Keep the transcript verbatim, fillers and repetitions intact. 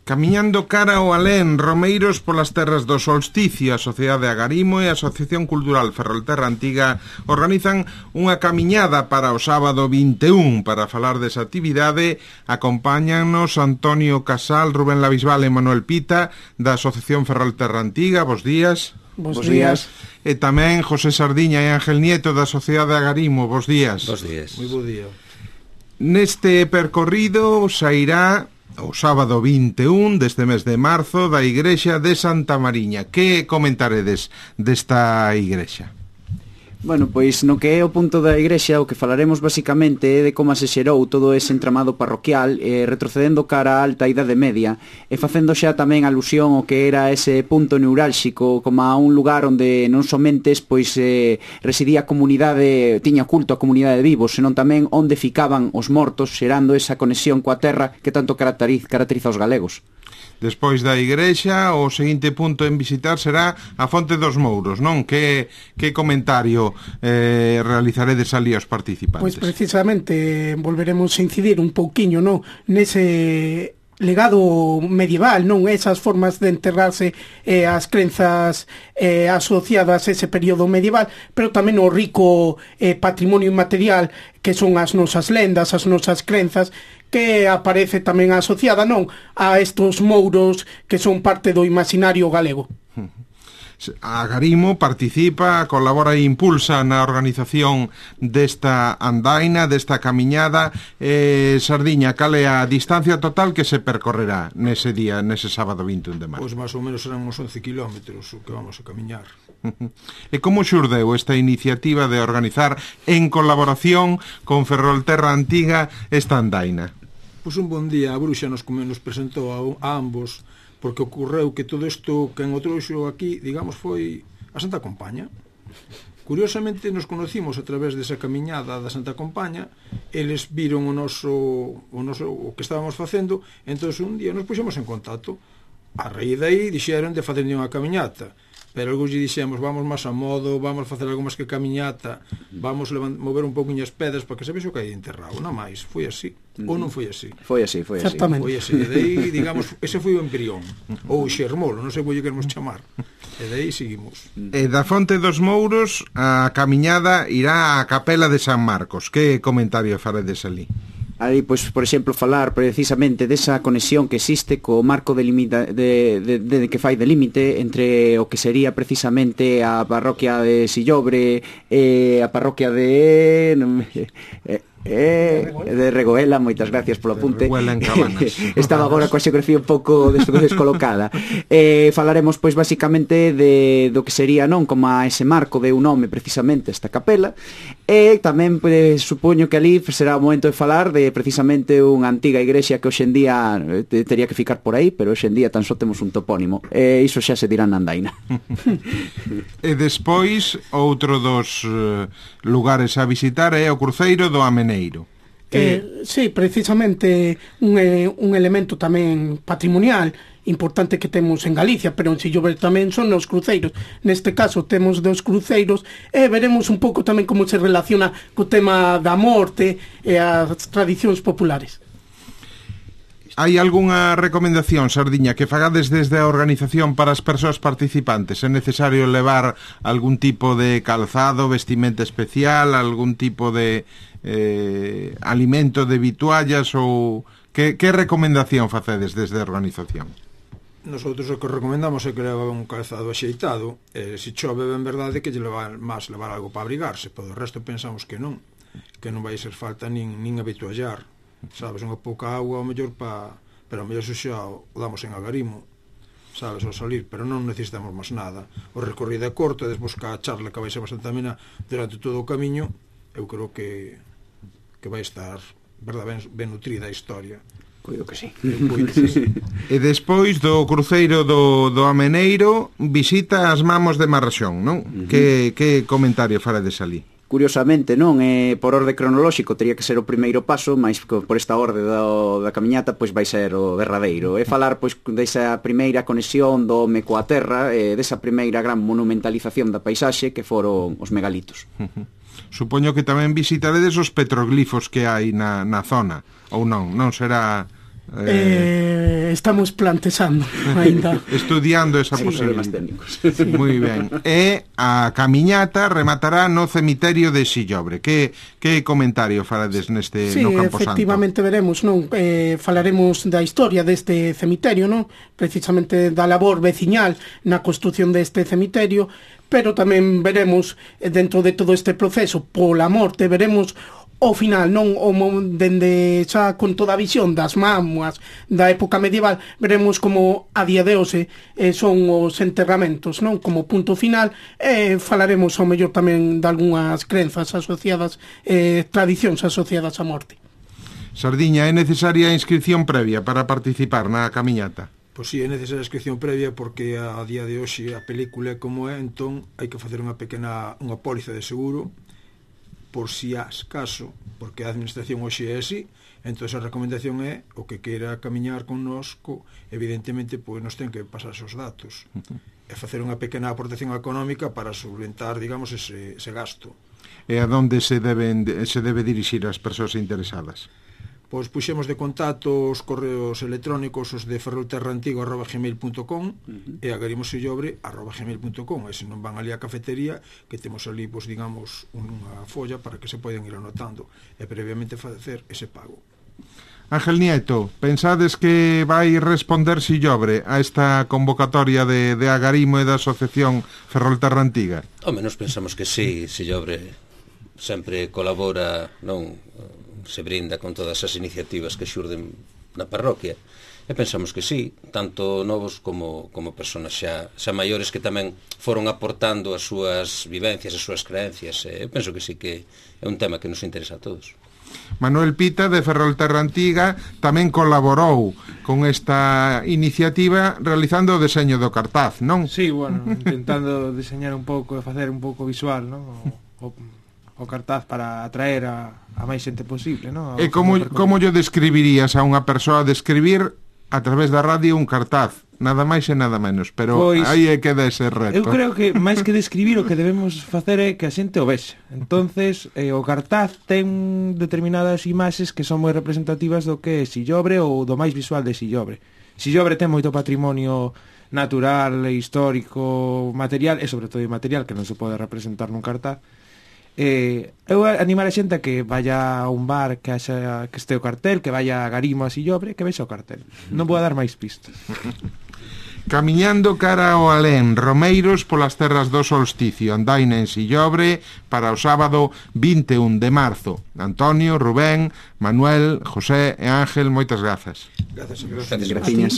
Camiñando cara ao alén, romeiros polas terras do solsticio, a Sociedade Agarimo e a Asociación Cultural Ferrolterra Antiga organizan unha camiñada para o sábado vinte e un. Para falar desa actividade, acompáñanos Antonio Casal, Rubén Lavisval e Manuel Pita, da Asociación Ferrolterra Antiga. Bos días. Bos días. E tamén José Sardiña e Ángel Nieto, da Sociedade Agarimo. Bos días. Bos días. Moi bo día. Neste percorrido sairá o sábado vinte e un deste mes de marzo da igrexa de Santa Mariña. Que comentaredes desta igrexa? Bueno, pois no que é o punto da igrexa o que falaremos basicamente é de como se xerou todo ese entramado parroquial, eh, retrocedendo cara á alta idade media e facendo xa tamén alusión ao que era ese punto neurálxico como a un lugar onde non somentes pois eh, residía a comunidade, tiña culto a comunidade de vivos, senón tamén onde ficaban os mortos, xerando esa conexión coa terra que tanto caracteriza, caracteriza os galegos. Despois da igrexa, o seguinte punto en visitar será a Fonte dos Mouros, non? Que, que comentario eh, realizaredes ali aos participantes? Pois precisamente volveremos a incidir un pouquiño, non? Nese legado medieval, non? Esas formas de enterrarse eh, as crenzas eh, asociadas a ese período medieval, pero tamén o rico eh, patrimonio inmaterial que son as nosas lendas, as nosas crenzas, que aparece tamén asociada, non, a estos mouros que son parte do imaginario galego. A Agarimo participa, colabora e impulsa na organización desta andaina, desta camiñada. eh, Sardiña, cal é a distancia total que se percorrerá nese día, nese sábado vinte e un de marzo? Pois máis ou menos serán uns once kilómetros o que vamos a camiñar. E como xurdeu esta iniciativa de organizar en colaboración con Ferrolterra Antiga esta andaina? Pois un bon día a bruxa nos, nos presentou a, a ambos, porque ocorreu que todo isto que en o trouxo aquí, digamos, foi a Santa Compaña. Curiosamente nos conocimos a través desa camiñada da Santa Compaña, eles viron o noso o, noso, o que estábamos facendo, entón un día nos puxemos en contacto. A raíz daí dixeron de facer unha camiñata, pero algúns lle dixemos vamos máis a modo, vamos facer algo máis que camiñata, vamos levant, mover un pouquinho as pedras para que se vexe o que hai enterrado, non máis, foi así, uh-huh. Ou non foi así? Foi así, foi así. Foi así, e daí, digamos, ese foi o embrión, ou o xermolo, non sei como lle queremos chamar, e daí seguimos. E da Fonte dos Mouros, a camiñada irá á Capela de San Marcos. Que comentario faredes ali? Ali, pois, por exemplo, falar precisamente desa conexión que existe co marco de, limita, de, de, de, de que fai de límite entre o que sería precisamente a parroquia de Sillobre e a parroquia de... Non me, eh, Eh, de Regoela, moitas gracias polo apunte. Estaba agora coa xeografía un pouco descolocada. eh, Falaremos pois basicamente de, do que sería, non, como a ese marco de un nome precisamente esta capela. E tamén pues, supoño que ali será o momento de falar de precisamente unha antiga igrexa que hoxendía eh, tería que ficar por aí, pero hoxendía tan só temos un topónimo. E eh, iso xa se dirá na andaina. E despois outro dos uh, lugares a visitar é o cruceiro do Ameneiro. Eh, sí, precisamente un, eh, un elemento tamén patrimonial importante que temos en Galicia, pero en Sillobre tamén son os cruceiros. Neste caso temos dos cruceiros e veremos un pouco tamén como se relaciona co tema da morte e as tradicións populares. Hai algunha recomendación, Sardiña, que fagades desde a organización para as persoas participantes? É necesario levar algún tipo de calzado, vestimenta especial, algún tipo de eh, alimento de vituallas ou... Que, que recomendación facedes desde a organización? Nosotros o que recomendamos é que leva un calzado axeitado, e se chove ben verdade que lle levar máis levar algo para abrigarse, pero o resto pensamos que non, que non vai ser falta nin, nin habituallar. Sabes, unha pouca agua ao mellor pa, pero ao mellor xa o damos en Agarimo, sabes, ao salir, pero non necesitamos máis nada. O recorrido é corto, despois ca charla que vai ser bastante amena durante todo o camiño, eu creo que que vai estar, verdad, ben, ben nutrida a historia. Cuido que sí. E despois do cruceiro do, do Ameneiro, visita as Mamos de Marraxón, non? Uh-huh. Que, que comentario farades ali? Curiosamente, non, eh, por orde cronolóxico teria que ser o primeiro paso, mas por esta orde do, da camiñata pois vai ser o derradeiro. E falar pois desa primeira conexión do home coa terra, e desa primeira gran monumentalización da paisaxe que foron os megalitos. Supoño que tamén visitaredes os petroglifos que hai na, na zona, ou non? Non será Eh, estamos plantexando ainda. Estudiando esa Sí. posibilidade. Moi ben. E a camiñata rematará no cemiterio de Sillobre. Que, que comentario farades neste Sí, no Camposanto? efectivamente veremos, non? Eh, falaremos da historia deste cemiterio, non? Precisamente da labor veciñal na construción deste cemiterio, pero tamén veremos eh, dentro de todo este proceso pola morte, veremos ao final, non o mo- dende xa con toda a visión das mamuas da época medieval, veremos como a día de hoxe eh, son os enterramentos, non? Como punto final, e eh, falaremos ao mellor tamén de algunhas crenzas asociadas, eh, tradicións asociadas á morte. Sardiña, é necesaria a inscripción previa para participar na camiñata? Pois si, é necesaria a inscripción previa porque a, a día de hoxe a película é como é, entón hai que facer unha pequena unha póliza de seguro por si as caso, porque a administración hoxe é así, entón a recomendación é o que queira camiñar connosco, evidentemente, pois nos ten que pasar esos datos e facer unha pequena aportación económica para solventar, digamos, ese, ese gasto. E a donde se deben se debe dirixir as persoas interesadas? Pois puxemos de contacto os correos electrónicos os de ferrolterraantigo arroba gmail punto com uh-huh. e agarimossillobre arroba gmail punto com, e se non van ali á cafetería, que temos ali, pois, digamos, unha folla para que se poden ir anotando e previamente facer ese pago. Ángel Nieto, pensades que vai responder Sillobre a esta convocatoria de, de Agarimo e da Asociación Ferrolterra Antiga? Ao menos pensamos que sí, Sillobre sempre colabora, non se brinda con todas as iniciativas que xurden na parroquia, e pensamos que sí, tanto novos como, como personas xa, xa maiores que tamén foron aportando as súas vivencias, as súas creencias, e penso que sí que é un tema que nos interesa a todos. Manuel Pita, de Ferrolterra Antiga, tamén colaborou con esta iniciativa realizando o deseño do cartaz, non? Sí, bueno, intentando diseñar un pouco e facer un pouco visual, non? O, o, o cartaz para atraer a, a máis xente posible, non? E como, como yo describirías a unha persoa describir a través da radio un cartaz? Nada máis e nada menos, pero pois, aí é que dá ese reto. Eu creo que máis que describir o que debemos facer é que a xente o vexa. Entonces, eh, o cartaz ten determinadas imaxes que son moi representativas do que é Sillobre ou do máis visual de Sillobre. Sillobre ten moito patrimonio natural, histórico, material e sobre todo material que non se pode representar nun cartaz. Eh, eu animar a xente a que vaya a un bar que haxa, que este o cartel, que vaya a Agarimo a Sillobre, que vexa o cartel. Non vou a dar máis pistas. Camiñando cara ao alén, Romeiros polas terras do solsticio, andaina en Sillobre para o sábado vinte e un de marzo. Antonio, Rubén, Manuel, José e Ángel, moitas grazas. Grazas a Dios. Gracias. Graciñas.